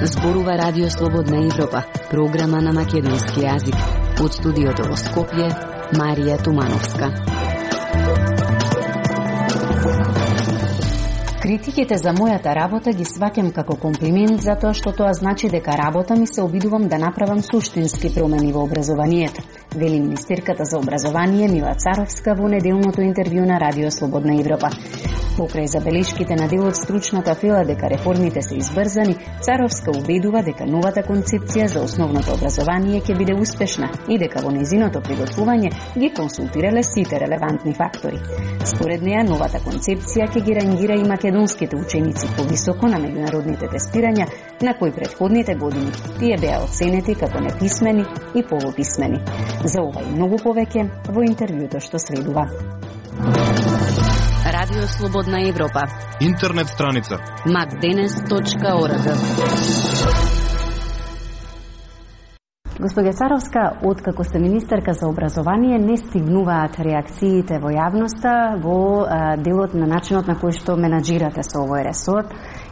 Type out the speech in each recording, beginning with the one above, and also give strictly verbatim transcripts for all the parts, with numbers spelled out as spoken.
Зборува Радио Слободна Европа, програма на македонски јазик. Од студиото во Скопје, Марија Тумановска. Критиките за мојата работа ги сваќам како комплимент затоа што тоа значи дека работа ми се обидувам да направам суштински промени во образованието, вели министерката за образование Мила Царовска во неделното интервју на Радио Слободна Европа. Покрај забелешките на дел од стручната фела дека реформите се избрзани, Царовска убедува дека новата концепција за основното образование ќе биде успешна и дека во нејзиното приготвување ги консултирале сите релевантни фактори. Според неа, новата концепција ќе ги рангира и македонските ученици повисоко на меѓународните тестирања, на кои претходните години тие беа оценети како неписмени и полуписмени. За ова и многу повеќе во интервјуто што следува. Радио Слободна Европа. Интернет страница макденес точка орг. Господја Царовска, откако сте министерка за образование, не стигнуваат реакциите во јавноста во а, делот на начинот на кој што менаџирате со овој ресор.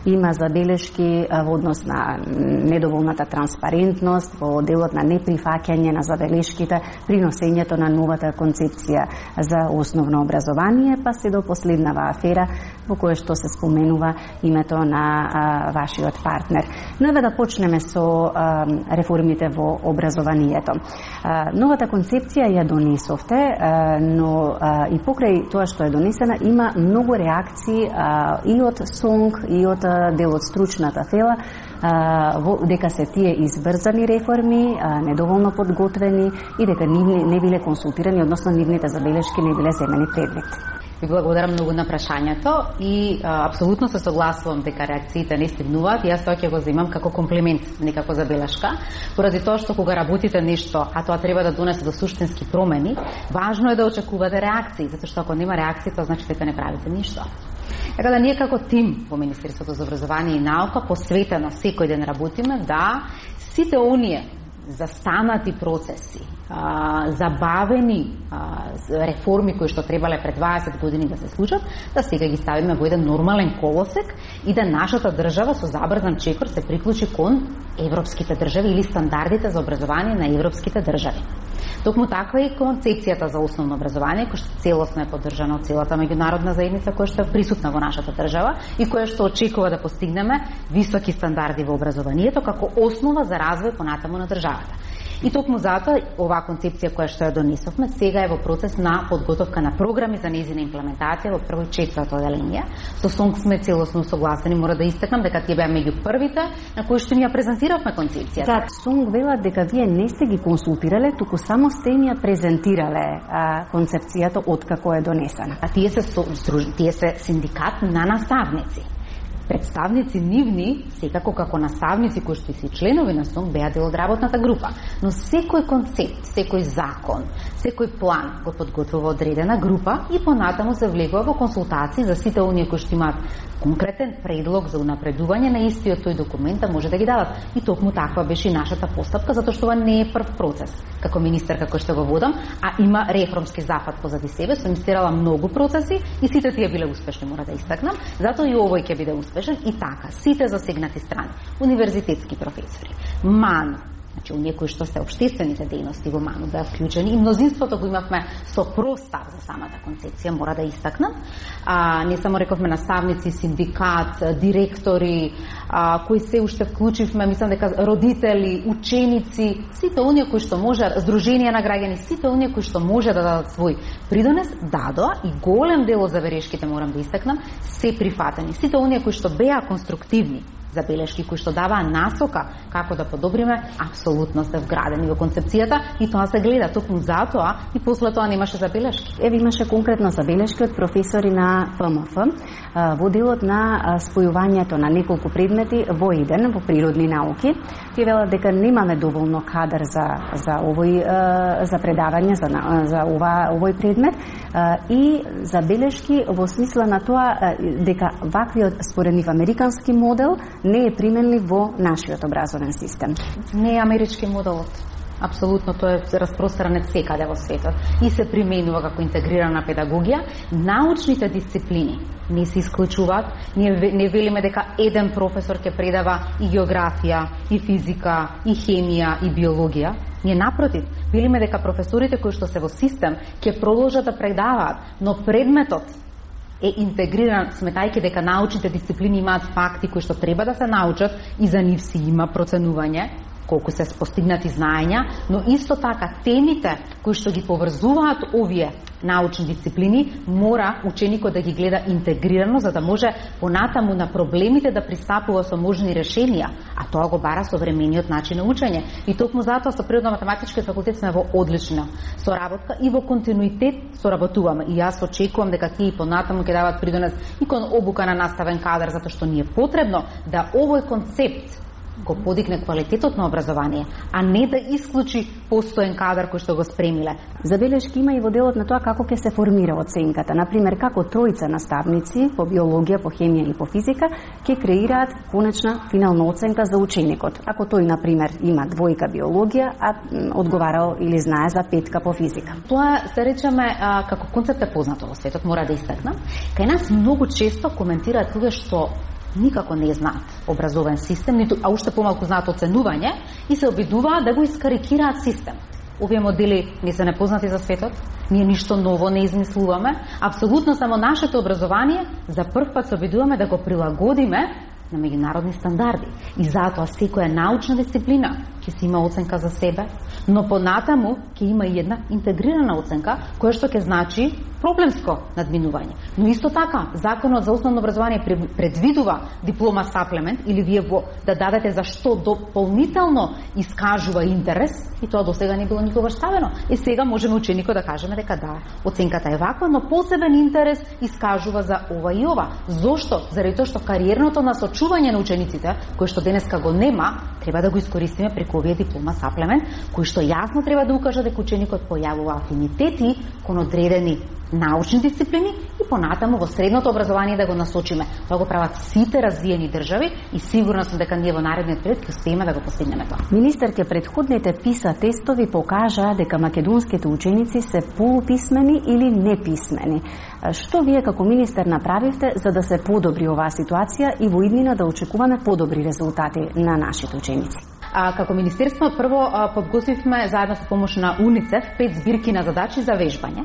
Има забелешки во однос на недоволната транспарентност, во делот на неприфаќање на забелешките при носењето на новата концепција за основно образование, па се до последнава афера во која што се споменува името на а, вашиот партнер. Но еве да почнеме со а, реформите во образованието. А, новата концепција ја донесовте, а, но а, и покрај тоа што е донесена има многу реакции а, и од СОНГ и од дел од стручната фела, а, во, дека се тие избрзани реформи, а, недоволно подготвени и дека нивни, не биле консултирани, односно нивните забелешки не биле земени предвид. Ви благодарам многу на прашањето и а, апсолутно се согласувам дека реакциите не стигнуваат. Јас тоа ќе го земам како комплимент, не како забелешка, поради тоа што кога работите нешто, а тоа треба да донесе до суштински промени, важно е да очекувате реакции, затоа што ако нема реакции, тоа значи дека не правите ништо. Така да ние како тим во Министерството за образование и наука посветено секој ден работиме да сите оние застанати процеси, а, забавени а, реформи кои што требале пред дваесет години да се случат, да сега ги ставиме во еден нормален колосек и да нашата држава со забрзан чекор се приклучи кон европските држави или стандардите за образование на европските држави. Токму таква е концепцијата за основно образование, која што целосно е поддржана од целата меѓународна заедница, која што е присутна во нашата држава и која што очекува да постигнеме високи стандарди во образованието како основа за развој понатаму на државата. И токму затоа оваа концепција која што ја донесовме сега е во процес на подготовка на програми за нејзина имплементација во прво и четврто оделение. Со СОНГ сме целосно согласени, мора да истакнам дека тие беа меѓу првите на кои што ни ја презентиравме концепцијата. Да, СОНГ вела дека вие не сте ги консултирале, туку само сте им ја презентирале а, концепцијата откако е донесена. А тие се тие се синдикат на наставници. Представници нивни, секако како наставници кои што се членови на СОНГ, беа дел од работната група. Но секој концепт, секој закон, секој план го подготвува одредена група и понатаму се влегува во консултации за сите оние кои што имаат конкретен предлог за унапредување на истиот тој документ да може да ги дадат. И токму таква беше и нашата постапка, затоа што ова не е прв процес. Како министерка кој што го водам, а има реформски зафат позади себе, сум истерала многу процеси и сите тие биле успешни, мора да истакнам. Затоа и овој ќе биде успешен и така. Сите засегнати страни, универзитетски професори, МАН, значи оние кои што се општествените дејности во МАНу беа вклучени и мнозинството го имавме со простав за самата концепција, мора да истакнам. А, не само рековме наставници, синдикат, директори, а, кои се уште вклучивме, мислам дека родители, ученици, сите оние кои што може, здруженија на граѓани, сите оние кои што може да дадат свој придонес, дадоа и голем дел од забелешките, морам да истакнам, се прифатени. Сите оние кои што беа конструктивни забелешки кои што даваа насока како да подобриме, апсолутно се вградени во концепцијата и тоа се гледа токму затоа и после тоа немаше забелешки. Еве имаше конкретно забелешки од професори на ФМФ во делот на спојувањето на неколку предмети во еден, во природни науки. Тие велат дека немаме доволно кадар за за овој за предавање за за ова овој предмет и забелешки во смисла на тоа дека ваквиот според нив американски модел не е применлив во нашиот образовен систем. Не е амерички моделот. Апсолутно, тоа е распространет секаде во светот и се применува како интегрирана педагогија. Научните дисциплини не се исклучуваат. Ние не велиме дека еден професор ќе предава и географија, и физика, и хемија, и биологија. Ние напротив, велиме дека професорите кои што се во систем ќе продолжат да предаваат, но предметот е интегриран, сметајќи дека научните дисциплини имаат факти кои што треба да се научат и за нив си има проценување колку се постигнати знаења, но исто така темите кои што ги поврзуваат овие научни дисциплини, мора ученикот да ги гледа интегрирано, за да може понатаму на проблемите да пристапува со можни решенија, а тоа го бара современиот начин на учење. И токму затоа со Природно-математичкиот факултет сме во одлична соработка и во континуитет соработуваме. И јас очекувам дека тие и понатаму ќе дават придонес и кон обука на наставен кадар, затоа што ни е потребно да овој концепт го подигне квалитетот на образование, а не да исклучи постоен кадар кој што го спремиле. Забелешки има и во делот на тоа како ќе се формира оценката. Например, како тројца наставници по биологија, по хемија или по физика ќе креираат конечна финална оценка за ученикот. Ако тој, например, има двојка биологија, а одговарал или знае за петка по физика. Тоа се речеме а, како концепт е познато во светот, мора да истакнам. Кај нас многу често коментираат луѓе што никако не знаат образовен систем, ниту, а уште помалку знаат оценување и се обидуваат да го искарикираат систем. Овие модели не се непознати за светот, ние ништо ново не измислуваме, апсолутно само нашето образование за прв пат се обидуваме да го прилагодиме на меѓународни стандарди. И затоа секоја научна дисциплина ќе си има оценка за себе, но понатаму ќе има и една интегрирана оценка, која што ќе значи проблемско надминување. Но исто така, Законот за основно образование предвидува диплома саплемент или вие во да дадете за што дополнително искажува интерес, и тоа до сега не било никогаш ставено. И сега можеме ученикот да кажеме дека да, оценката е ваква, но посебен интерес искажува за ова и ова. Зошто? Заради тоа што кариерното насочување на учениците, кој што денеска го нема, треба да го искористиме преку овие диплома саплемент, кој што јасно треба да укаже дека ученикот појавува афинитети кон одредени научни дисциплини и понатаму во средното образование да го насочиме. Тоа го прават сите развиени држави и сигурно сум дека ние во наредниот период ќе успееме да го постигнеме тоа. Министерке, предходните PISA тестови покажаа дека македонските ученици се полуписмени или неписмени. Што вие како министер направивте за да се подобри оваа ситуација и во иднина да очекуваме подобри резултати на нашите ученици? А, како министерство прво а, подготвивме заедно со помош на УНИЦЕФ пет збирки на задачи за вежбање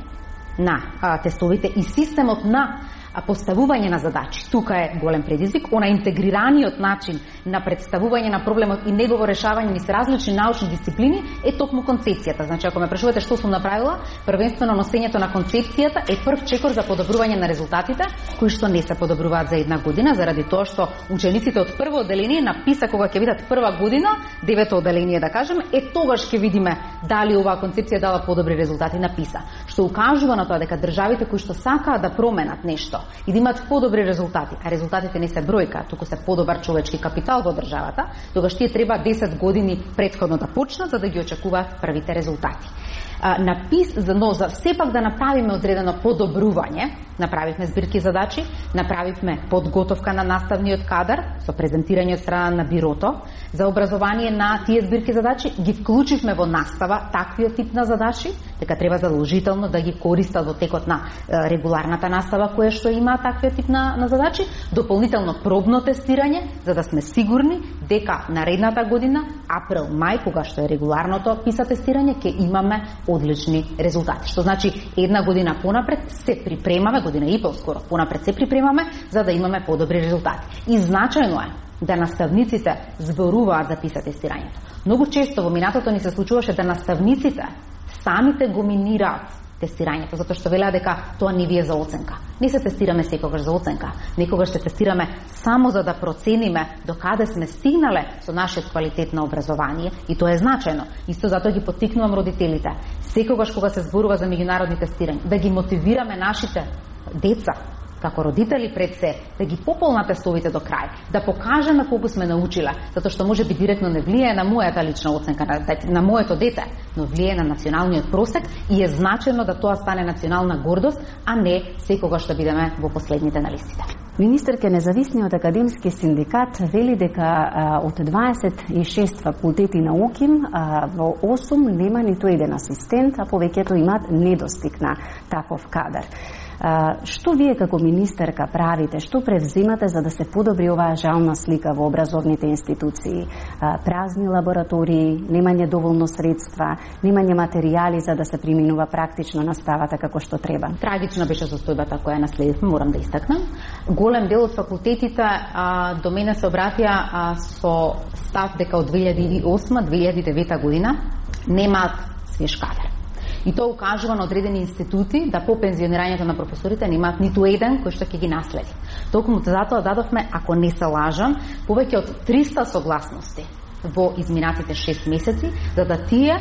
на а, тестовите и системот на а, поставување на задачи. Тука е голем предизвик, она интегрираниот начин на представување на проблемот и негово решавање низ различни научни дисциплини е токму концепцијата. Значи, ако ме прашувате што сум направила, првенствено носењето на концепцијата е прв чекор за подобрување на резултатите, кои што не се подобруваат за една година, заради тоа што учениците од прво одделение на PISA, кога ќе видат прва година, девето одделение да кажем, е тогаш ќе видиме дали оваа концепција дала подобри резултати на PISA, што укажува на тоа дека државите кои што сакаат да променат нешто и да имаат подобри резултати, а резултатите не се бројка, туку се подобар човечки капитал во државата, тогаш тие треба десет години претходно да почнат за да ги очекуваат првите резултати. На PISA, но за сепак да направиме одредено подобрување, направивме збирки задачи, направивме подготовка на наставниот кадар со презентирање од страна на бирото за образование на тие збирки задачи, ги вклучивме во настава таквиот тип на задачи, дека треба задолжително да ги користат во текот на е, регуларната настава која што има таквиот тип на, на задачи, дополнително пробно тестирање, за да сме сигурни дека наредната година, април, мај, кога што е регуларното PISA тестирање, ќе имаме одлични резултати. Што значи една година понапред се припремаме, година и пол скоро понапред се припремаме за да имаме подобри резултати. И значајно е да наставниците зборуваат за PISA тестирањето. Многу често во минатото ни се случуваше да наставниците самите го минираат тестирањето, затоа што велеа дека тоа не ви е за оценка. Не се тестираме секогаш за оценка, некогаш се тестираме само за да процениме до каде сме стигнале со нашиот квалитет на образование и тоа е значајно. Исто затоа ги поттикнувам родителите, секогаш кога се зборува за меѓународни тестирања, да ги мотивираме нашите деца како родители пред се, да ги пополнат тестовите до крај, да покажеме колку сме научиле, затоа што може би директно не влијае на мојата лична оценка, на, на моето дете, но влијае на националниот просек и е значено да тоа стане национална гордост, а не секогаш да бидеме во последните на листите. Министерка независниот академски синдикат вели дека а, од дваесет и шест факултети науки а, во осум нема ниту еден асистент, а повеќето имаат недостиг на таков кадар. А, што вие како министерка правите, што превземате за да се подобри оваа жална слика во образовните институции? А, празни лаборатории, немање доволно средства, немање материјали за да се применува практично наставата како што треба. Трагична беше состојбата која наследивме, морам да истакнам. Голем дел од факултетите а, до мене се обратија а, со став дека од две илјади и осма до две илјади и девета година немаат свеж кадар. И тоа укажува на одредени институти да по пензионирањето на професорите немаат ниту еден кој што ќе ги наследи. Токму затоа дадовме, ако не се лажам, повеќе од триста согласности во изминатите шест месеци, за да тие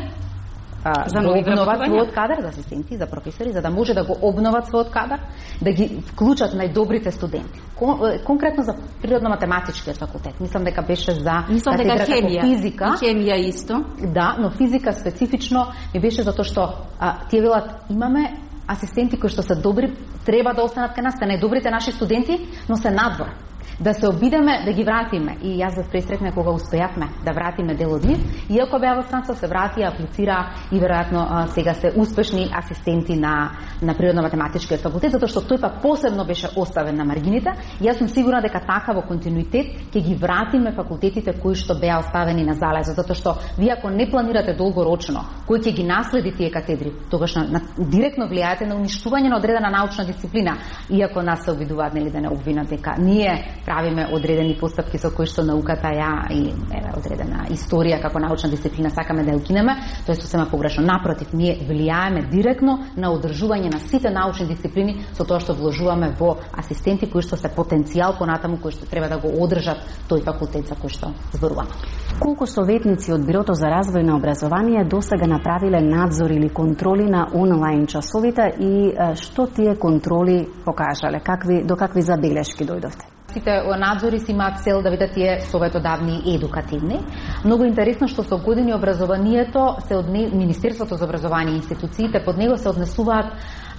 за да обноват својот кадар за асистенти, за професори, за да може да го обноват својот кадар, да ги вклучат најдобрите студенти. Кон, конкретно за природно-математичкиот факултет. Мислам дека беше за Мислам дека хемија, физика. И хемија исто. Да, но физика специфично ми беше затоа што а, тие велат имаме асистенти кои што се добри, треба да останат кај нас, те најдобрите наши студенти, но се надвор. Да се обидеме да ги вратиме. И јас да пресретме кога успеавме да вратиме дел од нив, иако беа во странство, се врати, аплицира и веројатно сега се успешни асистенти на на природно-математичкиот факултет, затоа што тој пак посебно беше оставен на маргините. И јас сум сигурна дека така во континуитет ќе ги вратиме факултетите кои што беа оставени на залезо, затоа што вие ако не планирате долгорочно кој ќе ги наследи тие катедри, тогаш на, на директно влијаете на уништување на одредена научна дисциплина, иако нас се обидуваат нели да не обвинат дека ние правиме одредени постапки со кои што науката ја и еве одредена историја како научна дисциплина сакаме да ја укинеме, тоа е сосема погрешно. Напротив, ние влијаеме директно на одржување на сите научни дисциплини со тоа што вложуваме во асистенти кои што се потенцијал понатаму кои што треба да го одржат тој факултет за кој што зборуваме. Колку советници од Бирото за развој на образование досега направиле надзор или контроли на онлайн часовите и што тие контроли покажале? Какви до какви забелешки дојдовте? Сите надзори си имаат цел да бидат тие советодавни и едукативни. Многу интересно што со години образованието се од Министерството за образование и институциите под него се однесуваат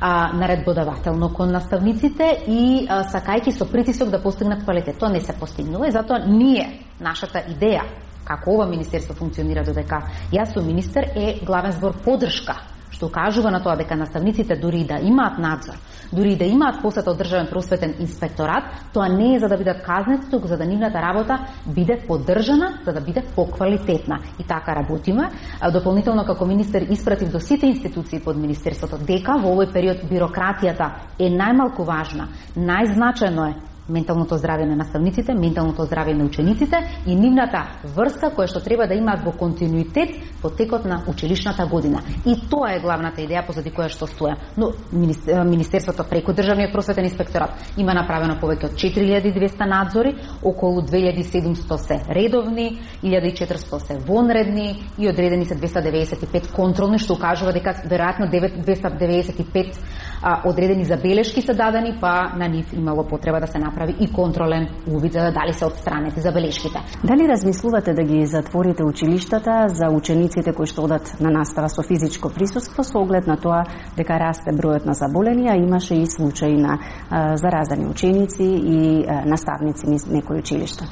а, наредбодавателно кон наставниците и а, сакајќи со притисок да постигнат квалитет. Тоа не се постигнува и затоа ние, нашата идеја, како ова министерство функционира додека јас сум министер, е главен збор поддршка, што укажува на тоа дека наставниците дури да имаат надзор, дури да имаат посета од државен просветен инспекторат, тоа не е за да бидат казнети, туку за да нивната работа биде поддржана, за да биде поквалитетна. И така работиме. Дополнително како министер испратив до сите институции под министерството дека во овој период бирократијата е најмалку важна, најзначајно е менталното здравје на наставниците, менталното здравје на учениците и нивната врска која што треба да имаат во континуитет во текот на училишната година. И тоа е главната идеја позади која што стоја. Но министерството преку државниот просветен инспекторат има направено повеќе од четири илјади и двесте надзори, околу две илјади и седумсто се редовни, илјада и четиристо се вонредни и одредени се двесте деветдесет и пет контролни, што укажува дека веројатно двесте деветдесет и пет а, одредени забелешки се дадени, па на нив имало потреба да се направи и контролен увид за да дали се отстранети забелешките. Дали размислувате да ги затворите училиштата за учениците кои што одат на настава со физичко присуство со оглед на тоа дека расте бројот на заболени, а имаше и случаи на а, заразени ученици и а, наставници низ некои училишта?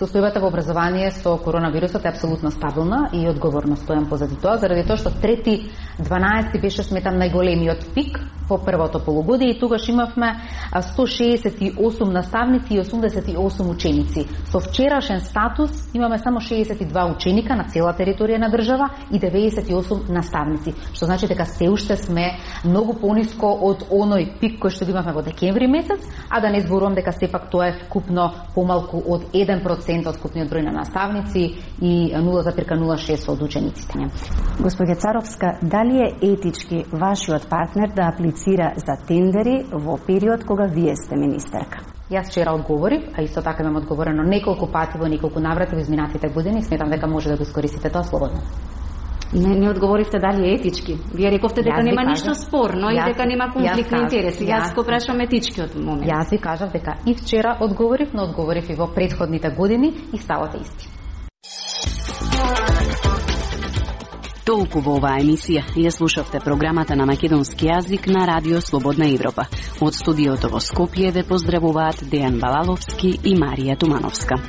Состојбата во образование со коронавирусот е апсолутно стабилна и одговорно стојам позади тоа, заради тоа што трети дванаесети беше сметам најголемиот пик во првото полугодие и тогаш имавме сто шеесет и осум наставници и осумдесет и осум ученици. Со вчерашен статус имаме само шеесет и два ученика на цела територија на држава и деветдесет и осум наставници, што значи дека се уште сме многу пониско од оној пик кој што го имавме во декември месец, а да не зборувам дека сепак тоа е вкупно помалку од еден процент од вкупниот број на наставници и нула запирка нула шест од учениците. Госпоѓа Царовска, дали е етички вашиот партнер да аплицира за тендери во период кога вие сте министерка? Јас вчера одговорив, а исто така имам одговорено неколку пати во неколку наврати во изминатите години, сметам дека може да го искористите тоа слободно. Не, не одговоривте дали е етички. Вие рековте дека нема ништо спорно и дека нема конфликт на интереси. Јас го прашам етичкиот момент. Јас ви кажав дека и вчера одговорив, но одговорив и во претходните години и ставот е исти. Толку во оваа емисија ја слушавте програмата на македонски јазик на Радио Слободна Европа. Од студиото во Скопје ве поздравуваат Дејан Балаловски и Марија Тумановска.